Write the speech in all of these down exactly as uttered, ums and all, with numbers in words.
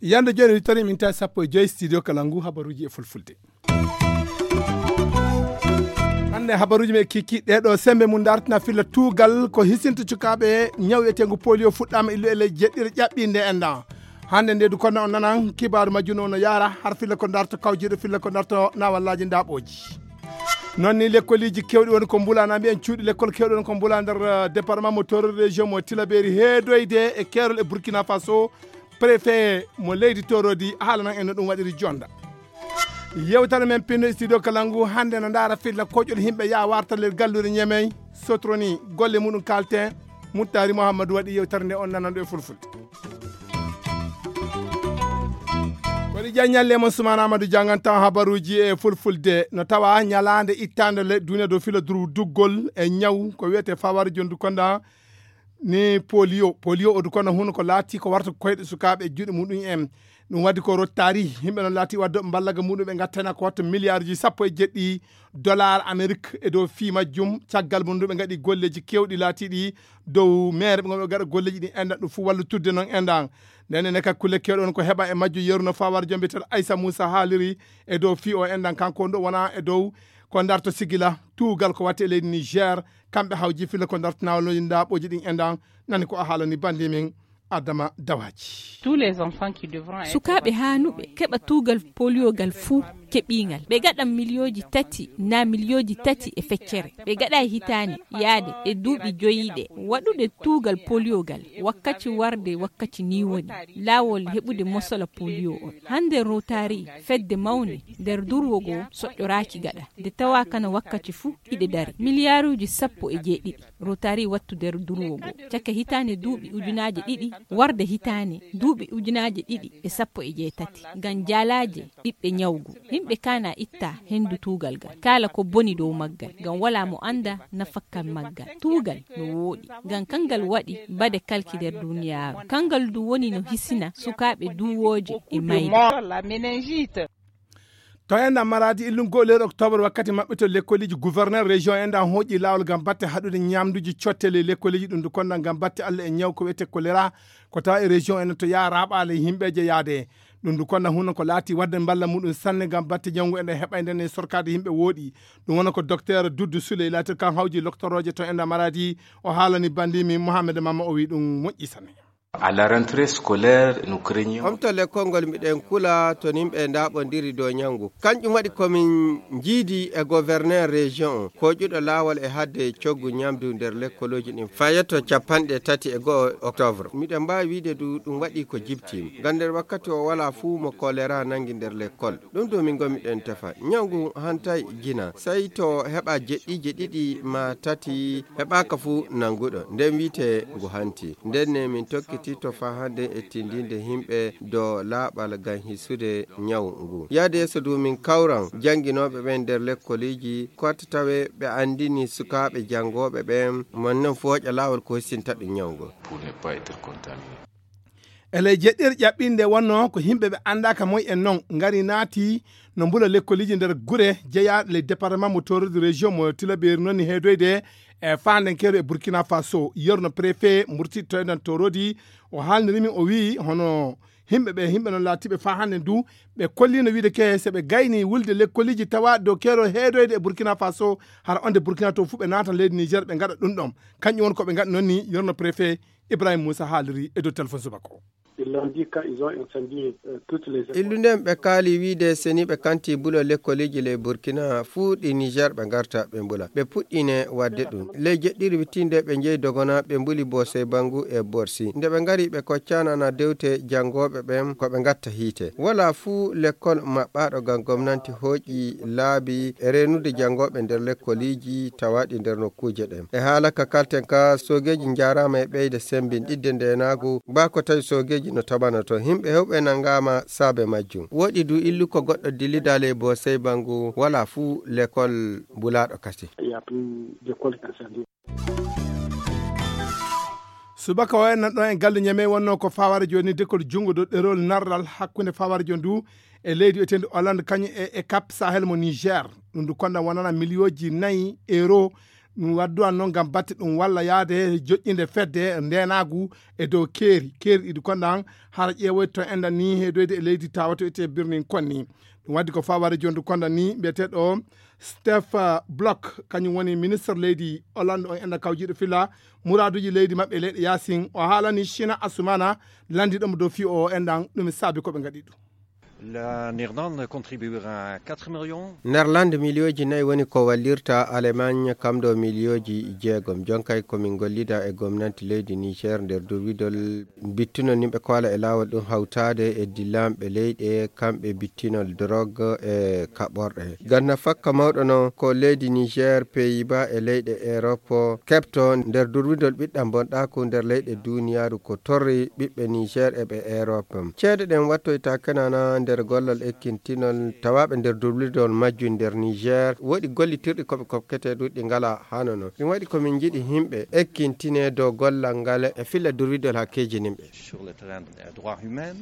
Yande jooni wittori min tawi sappo e joyi studio kala ngu habaruuji e fulfulde. Hannde habaruuji men kiki ɗeɗo sembe mum dartina filla tuugal ko hisinto cukaaɓe ñaw eteengu polio fuɗɗaama illu e ley jeɗɗire ƴaɓɓinde enɗan. Hannde nde du kono on nanan kibaaru majjum no yaara har filla ko darto kawjiiɗo filla ko darto nawallaaji ndaɓooji. Noon ni lekkoliji kewɗi woni ko mbulana mbiyen cuuɗi lekkol kewɗi woni ko mbula nder eh, département mo toro région mo tilaberi heedoyde e keerol e burkina faso. Préfet mo leydi torodi haalanan en no ɗum waɗiri jonda. Yewtere men pinno e studio kala ngu hannde no ndaara filla koƴol himɓe ya warta nder galluure ñemey sotroni golle muɗum kalten. Muttari mouhammadou waɗi yewtere nde on nananɗo e fulfulde. Kono ƴaññalle mon sumana amadou jangan taw habaruji e fulfulde no tawa ñalande ittande le duniya dow filo duru duggol e ñaw ko wiyete fawari jondu konda. Ni polio polio o du kono huno ko laati ko warta koyɗe sukaaɓe e juuɗe muɗum en. Ɗum waddi ko rottari yimɓe noon laati wadde ɓe mballaga muɗum ɓe gattana ko watta milliard ji sappo e jeɗɗi dollar amérique e dow fii majjum caggal mum ndu ɓe ngaɗi golleji kewɗi laatiɗi dow maire ɓe gonɓe gaɗa golleji ɗi enɗan ɗum fof wallitudde noon enɗan. Nden ene kadi kulle kewɗe on ko heɓa e majjum yeru no fawar jom mbiyeteɗo aysa moussa haaliri e dow fii o enɗan kanko on ɗo wona e dow ko darto sigila tuugal ko watte e leydi niger. Kamɓe hawji filla ko darto nawaloji ndaɓoji ɗin enɗan. Nani ko a haalani bandi min adama dawaji. Tous les enfants qui devront être sukaaɓe haanuɓe keɓa tuugal poliogal fuu keɓiingal ɓe gaɗan miliyooji tati naa miliyooji tati e feccere ɓe gaɗa e hitaande yaade e duuɓi joyiiɗe waɗude tuugal poliogal. Wakkaci warde wakkaci ni woni laawol heɓude mosola polio on hannde rotari fedde mawne nder durwo goo soƴƴoraaki gaɗa nde tawa kana wakkaci fuu hiɗe dari miliyaaruuji sappo e jeeɗiɗi. Rotari wattu nder durwo goo caka hitaande duuɓi ujunaaje ɗiɗi warde hitaande duuɓi ujunaaje ɗiɗi e sappo e jeetati ngam jaalaaje ɓiɓɓe ñawgu. Yimɓe kaana itta henndu tuugal gal kaala ko boni dow maggal ngam walaa mo annda nafakka maggal. Tuugal no wooɗi ngam kanngal waɗi bade kalki nder duniyaaru kanngal du woni no hisina sukaaɓe duwooje e mayde. To enɗan maradi illungol leydi octobre wakkati maɓɓito lekkoliji gouverneur région enɗan hooƴi laawol ngam batte haɗude ñamduji cottele lekkoliji ɗum du konɗan ngam batte allah e ñaw ko wiyete choléra. Ko tawa e région enɗan to yaha raɓale yimɓeje yaade. Ɗum du konɗan huno ko laati wadde mballa muɗum sanne ngam batte ñawngu enɗan heɓayde nde sorkade yimɓe wooɗi. Ɗum wona ko docteur duddu souley laatir kan hawji loctoroje to enɗan maradi. O haalani bandimi mohammed mamma o wi ɗum moƴƴi sanne. À la rentrée scolaire, nous craignons. Omto lekkol ngol miɗen kula to nimɓe ndaɓondiri dow ñawngu. Kanƴum waɗi komin njiidi e gouverneur région on koƴuɗo laawol e hadde coggu ñamdu nder lekkolooji ɗin fayetto capanɗe tati e go'o octobre. Miɗen mbaawi wiide du ɗum waɗi ko jibtiima ngam nder wakkati o walaa fuu mo kolera nangi nder lekkol. Ɗum ɗo min ngomiɗen tefa ñawngu hantay jina sey to heɓa jeɗɗiije ɗiɗi ma tati heɓaaka fuu nannguɗo nden wi'ete ngu hanti. Nden ne min tokkiti to faa hannden e tinndinde yimɓe dow laaɓal ngam hisude ñawu ngu. Yahde yeeso du min kawran jannginooɓe ɓen nder lekkoliiji koota tawe ɓe anndini sukaaɓe janngooɓe ɓen mon non fooƴa laawol ko hissinta ɗum ñawu ngu. Pour ne pas être contaminé. E ley jeɗɗir ƴaɓɓinde wonno ko yimɓe ɓe anndaaka moy en noon ngari naati no mbula lekkoliiji nder gure jeyaaɗe ley département mo torodi région mo tilabeeri noon ni heedoyde e faandenkeeru e burkina faso yerno préfet murtittoyɗan torodi. O haalniri min o wii hono yimɓe ɓe yimɓe noon laatiiɓe faa hannde ndu ɓe kolliino wiide ke so ɓe gayni wulde lekkoliji tawa dow keerol heedoyde e burkina faso hara onde burkina to fuu ɓe naatan leydi niger ɓe ngaɗa ɗum ɗon. Kañƴum won ko ɓe ngaɗi noon ni yerno préfet ibrahima moussa haaliri e dow téléphone subaka o. Illu nden ɓe kaali wiide seni ɓe kanti bulo lekkoliji ley burkina fuu ɗi niger ɓe ngarta ɓe mbula ɓe puɗɗine wadde ɗum ley jeɗɗiri wittinde ɓe njeyi dogona ɓe mbuli bosey bangu e borsi nde ɓe ngari ɓe koccanana dewte janngooɓe ɓen ko ɓe ngatta hiite. Wala fuu lekkol maɓɓaaɗo ngam gomnanti hooƴi laabi e reenude janngooɓe nder lekkoliiji tawaaɗi nder nokkuuje ɗen. E haala ka kalten ka soogeeji njaaraama e ɓeyde sembinɗidde ndeenaagu baa ko tawi soogeeji no tabanoto yimɓe heewɓe nanngaama saabe majjum. Wooɗi du illu ko goɗɗo dillidaa ley bosey bangu wala fuu lekkol mbulaaɗo kase. Subaka o en nan ɗon e galle ñamey wonno ko faware joni dekol junngo dow ɗerol narral hakkunde faware joni du e leydi wiyeteendi Hollande kañum e e cap Sahel mo Niger. Ɗum du konda wonana miliyooji nayi euro. Ɗum wadduwan noon ngam batte ɗum walla yaade joƴƴinde fedde ndeenaagu e dow keeri keeri ɗiɗi konda hara ƴeewoyto enɗan ni heedoyde e leydi tawato wiyetee birnin konni. Ɗum waddi ko faware jondu konda ni mbiyeteeɗo Steph Block, kañum woni ministre leydi Hollande on enɗan kawjiiɗo fila muraaduuji leydi maɓɓe e leyɗe yaasin. O haalani China Asumana, lanndiiɗo mo dow fii o enɗan ɗum e saabi ko ɓe ngaɗi ɗum. La Néerlande contribuera quatre millions. Nerlande miliyooji nayi woni ko wallirta Alemagne kam ɗo miliyooji jeegom. Jonkay ko min gollida e gomnanti leydi Niger nder durwidol bittunol nimɓe koala e laawol ɗum hawtaade e dillanɓe leyɗe kamɓe bittinol drogue e kaɓorɗe. Ganna fakka mawɗo noon ko leydi Niger, Pays-Bas e leyɗe Europe keɓto nder durwidol ɓiɗɗam bonɗaaku nder leyɗe duniyaaru ko torri ɓiɓɓe Niger e ɓe Europe. Ceede ɗen wattoyta kenana nder gollal ekkintinol tawaaɓe nder durwidol majjum nder Niger. Woɗi gollitirɗi ko ɓe kokkete ɗuɗɗi ngala hano non. Ɗum waɗi ko min njiɗi yimɓe ekkintine dow gollal ngal e filla durwidol hakkeeji nimɓe. Sur le terrain des droits humains.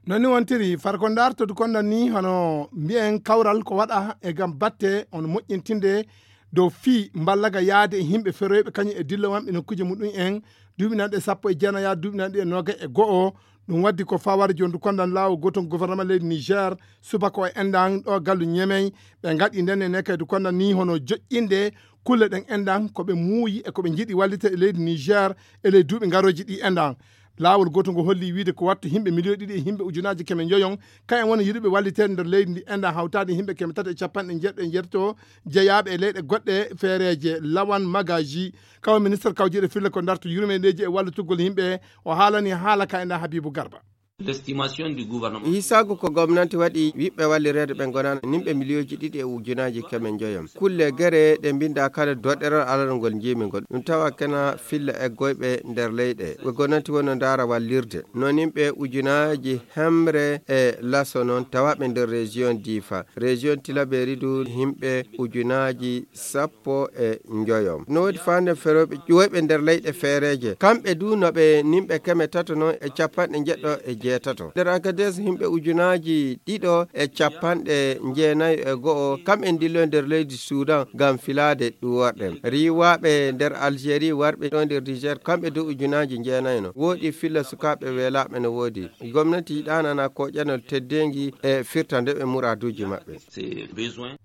Noon ni wontiri, far ko ndartodu konda ni hono mbiyen kawral ko waɗa e gam batte on moƴƴintinde dow fii mballaga yaade e yimɓe feroyɓe kañum e dillowamɓe nokkuuje muɗum en duuɓinanɗe sappo e jeenayaa duuɓinanɗe e noogay e go'o. Ɗum waddi ko faware jondu kondan laawol gootol gouvernement leydi Niger, subaka o enɗan ɗo gallu Ñemey. Ɓe ngaɗi nden e nekaydu kondan ni hono joƴƴinde kulle ɗen enɗan ko ɓe muuyi e ko ɓe njiɗi wallite e leydi Niger e ley duuɓi ngarooji ɗi enɗan. Laawol gootol ngo holli wiide ko wattu yimɓe miliyon ɗiɗi e yimɓe ujunaaji keme njoyon kayen woni yiɗuɓe walliteede nder leydi ndi enɗan hawtaade yimɓe keme tati e capanɗe njeeɗiɗo e njeetati jeyaaɓe e leyɗe goɗɗe feereeje. Lawan Magaji, kawo ministre kawjiiɗo fille ko ndarto yurmeyndeeji e wallitugol yimɓe, o haalani haala ka enɗan Habibu Garba. L'estimation du gouvernement. Hisaagu ko gomnanti waɗi wiɓɓe wallireede ɓe ngonana nimɓe miliyooji ɗiɗi e ujunaaji keme njoyon. Kulle gere ɗe mbinda kala doɗɗerol alalol ngol njiimi ngol. Ɗum tawa kena filla eggoyɓe nder leyɗe. Ɓe gomnanti wonno ndaara wallirde. No nimɓe ujunaaji hemre e laso noon tawaɓe nder région Difa. Région Tilaberi du himɓe ujunaaji sappo e njoyo. No woodi faande ferooɓe ƴuwoyɓe nder leyɗe feereeje. Kamɓe du no ɓe nimɓe keme tato noon e capanɗe njeɗɗo e jeetato. Nder Agadez yimɓe ujunaaji ɗiɗo e capanɗe njeenayo e go'o, kamɓe ndillo nder leydi Sudan ngam filaade ɗuworɗe. Riiwaaɓe nder Algérie warɓe ɗo nder Niger, kamɓe du ujunaaji njeenayo no. Woodi filla sukaaɓe weelaaɓe no woodi. Gomnati yiɗaanana ko ƴanol teddeengi e firta nde ɓe muraaduuji maɓɓe.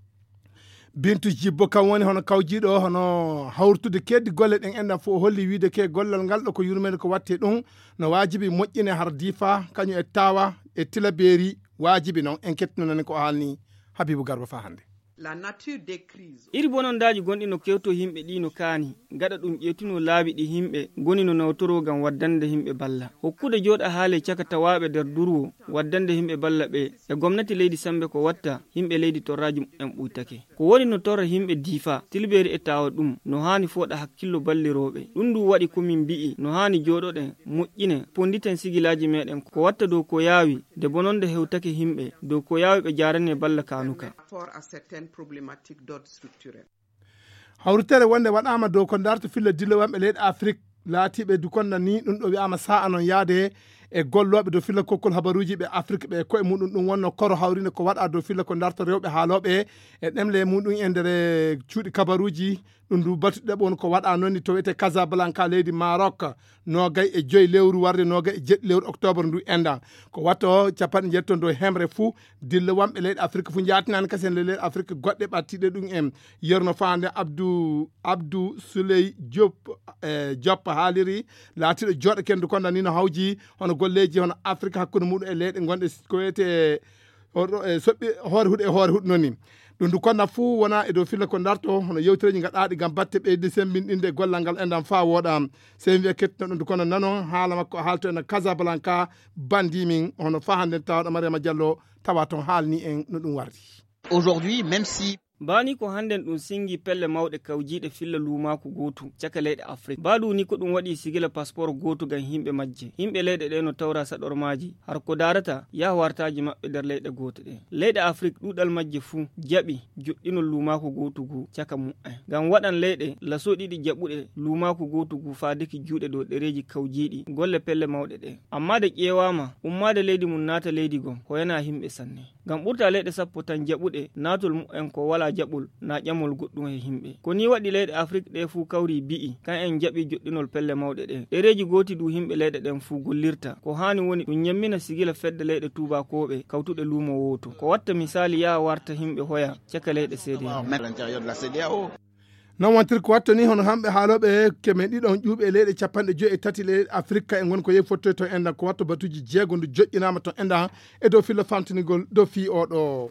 Bintu Jibbo kam woni hono kawjiiɗo hono hawrutude keddi golle ɗen enɗan fof o holli wiide ke gollal ngal ɗo ko yurmeende ko watte ɗum no waajibi moƴƴine har Difa kañum e Tawa e Tilaberi waajibi noon en kettinonani ko o haalni Habibu Garba fa hannde. La nature des crises. Iri bonondaaji gonɗi no kewto yimɓe ɗi no kaani gaɗa ɗum ƴeetuno laabi ɗi yimɓe ngoni no nawtoro ngam waddande yimɓe balla hokkude jooɗa haale caka tawaaɓe nder durwo waddande yimɓe balla ɓe e gomnati leydi Sambe ko watta yimɓe leydi torraaji muɓɓen ɓuytake. Ko woni no torra yimɓe Difa, Tilbeeri e Tawa ɗum no haani fooɗa hakkillo ballirooɓe. Ɗum ndu waɗi ko min mbi'i no haani jooɗoɗen, moƴƴinen, ponnditen sigilaaji meeɗen ko watta dow ko yaawi, nde bononde hewtake yimɓe, dow ko yaawi ɓe jaarane balla kaanuka. Rapport à certaines problématiques d'ordre structurel. Hawritere wonde waɗaama dow ko ndarto filla dillowanɓe leyɗe Afrik laatiiɓe dukonda ni ɗum ɗo wi'aama sa'a noon yaade e gollooɓe dow filla kokkol habaruuji ɓe Afrik ɓe e koye muɗum ɗum wonno koro hawrinde ko waɗa dow filla ko ndarto rewɓe haalooɓe e ɗemle muɗum e nder cuuɗi kabaruuji. Ɗum ndu batu ɗeɓo on ko waɗa noon ni to wiyetee Casablanca leydi Maroc. Noogay e joyi lewru warde noogay e jeɗɗi lewru octobre ndu enɗan ko watto capanɗe njeeɗi ton dow hemre fuu. Dilla wonɓe leyɗe Afrik fuu njaatinaani kasen le leyɗe Afrik goɗɗe ɓattiiɗe ɗum en yerno faande Abdou Abdou Souley Diop. E Diop haaliri laatiiɗo jooɗo kendu konda ni no hawji hono golleeji hono Afrik hakkunde muɗum e leyɗe gonɗe ko wiyetee hoore huɗo e hoore huɗo noon ni. Ɗum ndu konna fuu wona e dow filla ko ndarto hono yewtereeji gaɗaaɗi ngam batte ɓeyde semmbinɗinde gollal ngal enɗan faa wooɗa. Sey mbiya kettino ɗum ndu kono nanon haala makko haalto ena Casablanca. Banndi min hono faa hannden tawɗo Mariama Diallo tawa toon haalni en no ɗum wardi. Aujourd'hui même si Baa ni ko hannden ɗum singi pelle mawɗe kawjiiɗe filla luumaaku gootu caka leyɗe Afrik. Baa du ni ko ɗum waɗi sigila paspoor gootu ngam yimɓe majje. Yimɓe leyɗe ɗe no tawra saɗormaaji. Har ko daarata yaha wartaaji maɓɓe nder leyɗe goote ɗe. Leyɗe Afrik ɗuuɗal majje fuu jaɓi joɗɗinol luumaaku gootu ngu caka mu'en. Ngam waɗan leyɗe laso ɗiɗi jaɓuɗe luumaaku gootu ngu faadiki juuɗe dow ɗereeji kawjiiɗi golle pelle mawɗe ɗe. Ammaa de ƴeewaama, ummaade leydi mum naata leydi gom, ko yana yimɓe sanne. Ngam ɓurta leyɗe sappo tan jaɓuɗe naatol mu'en ko walaa jaɓol naa ƴamol goɗɗum he yimɓe. Ko nii waɗi leyɗe Afrik ɗe fuu kawri bi'i, kan en jaɓi joɗɗinol pelle mawɗe ɗe. Ɗereeji gooti du yimɓe leyɗe ɗen fuu gollirta. Ko haani woni ɗum ñammina sigila fedde leyɗe tuubaakooɓe kawtuɗe luumo wooto. Ko watta misaali yaha warta yimɓe hoya caka leyɗe seede. Non wontir ko watto ni hono hamɓe haalooɓe keme ɗiɗon ƴuuɓe e leyɗe capanɗe joyi e tati leyɗe Afirka e ngon ko yehi fottoy to enɗan ko watto batuuji jeego ndu joƴƴinaama to enɗan e dow filla famtinigol dow fii oɗo.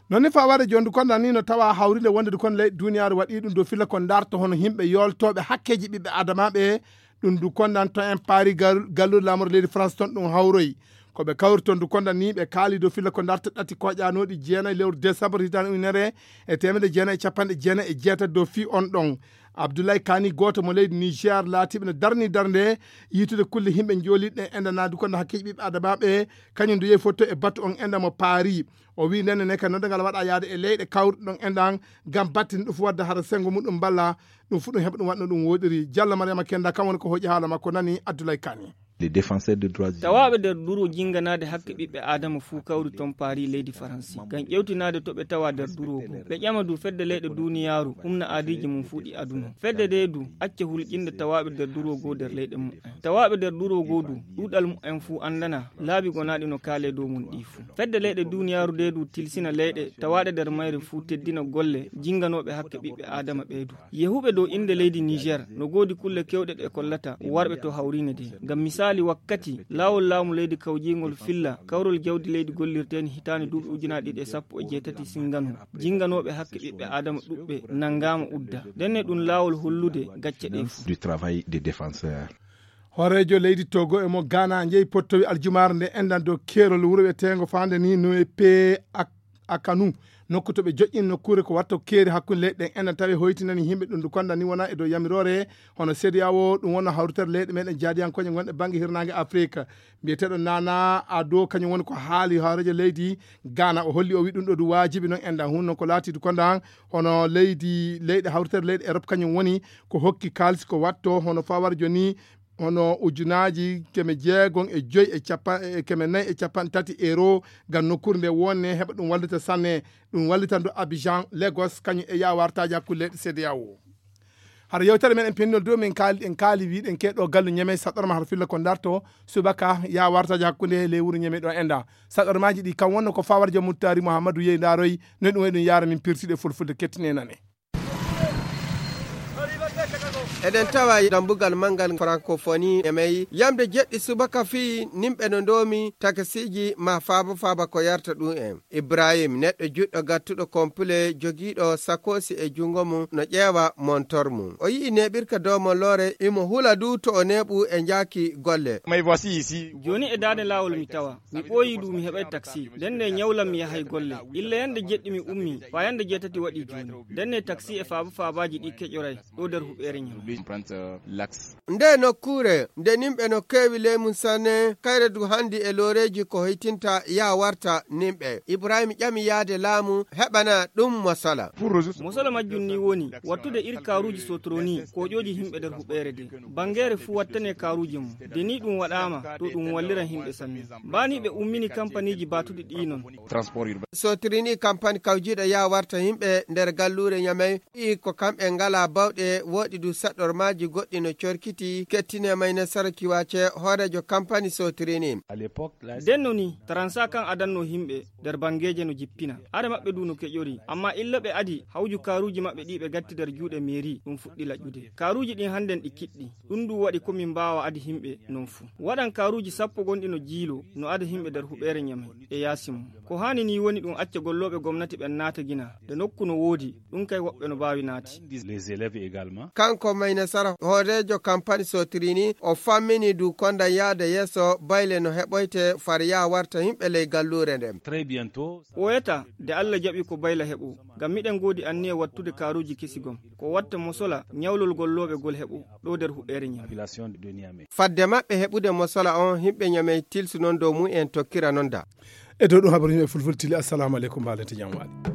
Non ni fawade jooni du kondan ni no tawa hawrinde wonde du kon leyɗe duniyaaru waɗi ɗum dow filla ko darto hono yimɓe yooltooɓe hakkeeji ɓiɓɓe adamaaɓe. Ɗum du kondan to en paari gal- galluure laamorde leydi France ton ɗum hawroyi. Ko ɓe kawri ton du kondan ni ɓe kaali dow filla ko darta ɗati koƴanooɗi jeenayi lewru décembre hitande ujunere e teemedde jeenayi e capanɗe jeenayi e jeetati dow fii on ɗon. Abdoulaye Kani gooto mo leydi Niger laatiiɓe no darni darnde yiitude kulle yimɓe njooliɗe enɗan naa du kondan hakkeeji ɓiɓɓe adamaaɓe kañum du yehi fotto e batu on enɗan mo paari. O wii nenne ne ka noddagal waɗa yaade e leyɗe kawruɗe ɗon enɗan ngam battinde ɗum fu wadde hara sengo muɗum mballa ɗum fu ɗum heɓa ɗum waɗno ɗum woɗiri. Jalla Mariama Kenda kam woni ko hoƴi haala makko nani Abdoulaye Kani. Les défenseurs de droits humains. Tawaaɓe nder duro jinganaade hakke ɓiɓɓe Aadama fuu kawri ton Paris leydi Faransi ngam ƴewtinaade to ɓe tawa nder duro go. Ɓe ƴama du fedde leyɗe duniyaaru humna aadiiji mum fuu ɗi aduna. Fedde nde du acca hulƴinde tawaaɓe nder duro go nder leyɗe mumen. Tawaaɓe nder duro go du ɗuuɗal mumen fuu anndana laabi gonaaɗi no kaale dow mum ɗi fuu. Fedde leyɗe duniyaaru nde du tilsina leyɗe tawaaɗe nder mayre fuu teddina golle jinganooɓe hakke ɓiɓɓe Aadama ɓe du. Yehuɓe dow innde leydi Niger no goodi kulle kewɗe ɗe kollata warɓe to hawriine de. Ngam misaali wakkati laawol laamu leydi kawjiingol filla kawrol jawdi leydi gollirteeni hitaande duuɓi ujunaaji ɗiɗi e sappo e jeetati singano. Jinganooɓe hakke ɓiɓɓe Aadama ɗuɓɓe nanngaama udda. Ndenne ɗum laawol hollude gacce ɗe fuu. Du travail des défenseurs. Hooreejo leydi Togo e mo Ghana njeyi pottowi aljumaare nde enɗan dow keerol wuro wi'eteengo faande ni Nuepe Ak- Akanu. Nokku to ɓe joƴƴini nokkuure ko watto keeri hakkunde leyɗe ɗen enɗan tawi hoytinani yimɓe ɗum du konda ni wona e dow yamiroore hono C D A O ɗum wonno hawritere leyɗe meɗen jaadiyankooje gonɗe bannge hirnaange Afrique. Mbiyeteeɗo Nana Ado kañum woni ko haali hooreejo leydi Ghana o holli o wi ɗum ɗo du waajibi noon enɗan hun noon ko laati du konda hono leydi leyɗe hawritere leyɗe Europe kañum woni ko hokki kaalisi ko watto hono fawar joni hono ujunaaji keme jeegom e joyi e capa- e keme nayi e capanɗe tati euro ngam nokkuure nde wonne heɓa ɗum wallita sanne. Ɗum wallitan du Abidjan, Lagos kañum e yawartaaji hakkunde leyɗe C D A O. Hara yewtere men en pennol dow min kaali en kaali wiɗen keɗo gallu ñeme saɗɗorma hara filla ko darto subaka yawartaaji hakkunde ley wuro ñeme ɗo enɗa. Saɗɗormaaji ɗi kam wonno ko fawar joom muttari Mouhamadou Yey Ndaroy no ɗum waɗi ɗum yara min pirsiɗe fulfulde kettine nane. Eɗen tawa dambugal manngal Francophonie e may yamde jeɗɗi subaka fii nimɓe no ndoomi takasiiji ma faaba faaba ko yarta ɗum en. Ibrahim, neɗɗo juɗɗo gattuɗo kompule jogiiɗo sakoosi e junngo mum no ƴeewa montor mum. O yi'i neeɓirka dow molloore, imo hula du to o neeɓu e njaaki golle. Jooni e daande laawol mi tawa. Mi ɓooyii du mi heɓay taksi. Ndenne ñawlam mi yahay golle. Illa yande jeɗɗi mi ummii, faa yande jeetati waɗii jooni. Ndenne taksi e faaba faabaaji ɗi keƴoray ɗo nder huɓeere ñaw. Nde nokkuure, nde nimɓe no keewi ley mum sanne, kayre du handi e looreeji ko hoytinta yaa warta nimɓe. Ibrahim ƴami yaade laamu heɓana ɗum mosala. Mosala majjum ni woni wattude ir kaaruuji sotroni koƴooji yimɓe nder huɓeere de. Banngeere fuu wattane kaaruuji mum. De ni ɗum waɗaama, to ɗum walliran yimɓe sanne. Baa ni ɓe ummini kampaniiji baatuɗi ɗi non. Sotroni kampani kawjiiɗo yaa warta yimɓe nder galluure Ñamey, ɓii ko kamɓe ngalaa bawɗe, wooɗi du saɗɗormaaji goɗɗi no corkiti, kettine may ne Sara Kiwace, hooreejo kampani Sotroni. Denno ni, taransa kan adanno yimɓe nder banngeeje no jippina. Are maɓɓe du no keƴori, ammaa illa ɓe adi hawju kaaruuji maɓɓe ɗi ɓe gatti nder juuɗe meeri, ɗum fuɗɗi laƴƴude. Kaaruuji ɗin hannden ɗi kiɗɗi. Ɗum du waɗi ko min mbaawa adi yimɓe non fuu. Waɗan kaaruuji sappo gonɗi no jiilo, no ada yimɓe nder huɓeere Ñamey e yaasi mum. Ko haani ni woni ɗum acca gollooɓe gomnati ɓen naata gina, de nokku no woodi, ɗum kay woɓɓe no mbaawi naati. Les élèves également. Kanko Ina sara hooreejo kampani sotiri ni, o fammini du konda yaade yeeso bayle no heɓoyte far yaa warta yimɓe ley galluure nden. Ɓooyata, de Alla jaɓi ko bayla heɓo, ngam miɗen ngoodi anniya wattude kaaruuji kesi gom, ko watta mosola ñawlol gollooɓe gol heɓo ɗo nder huɓɓeere Ñame. Fadde maɓɓe heɓude mosola on, yimɓe Ñame tilsu non dow mum en tokkira non da. E dow ɗum habaru yimɓe fulfulde tili, assalamu aleykum, mbaalete jam waali.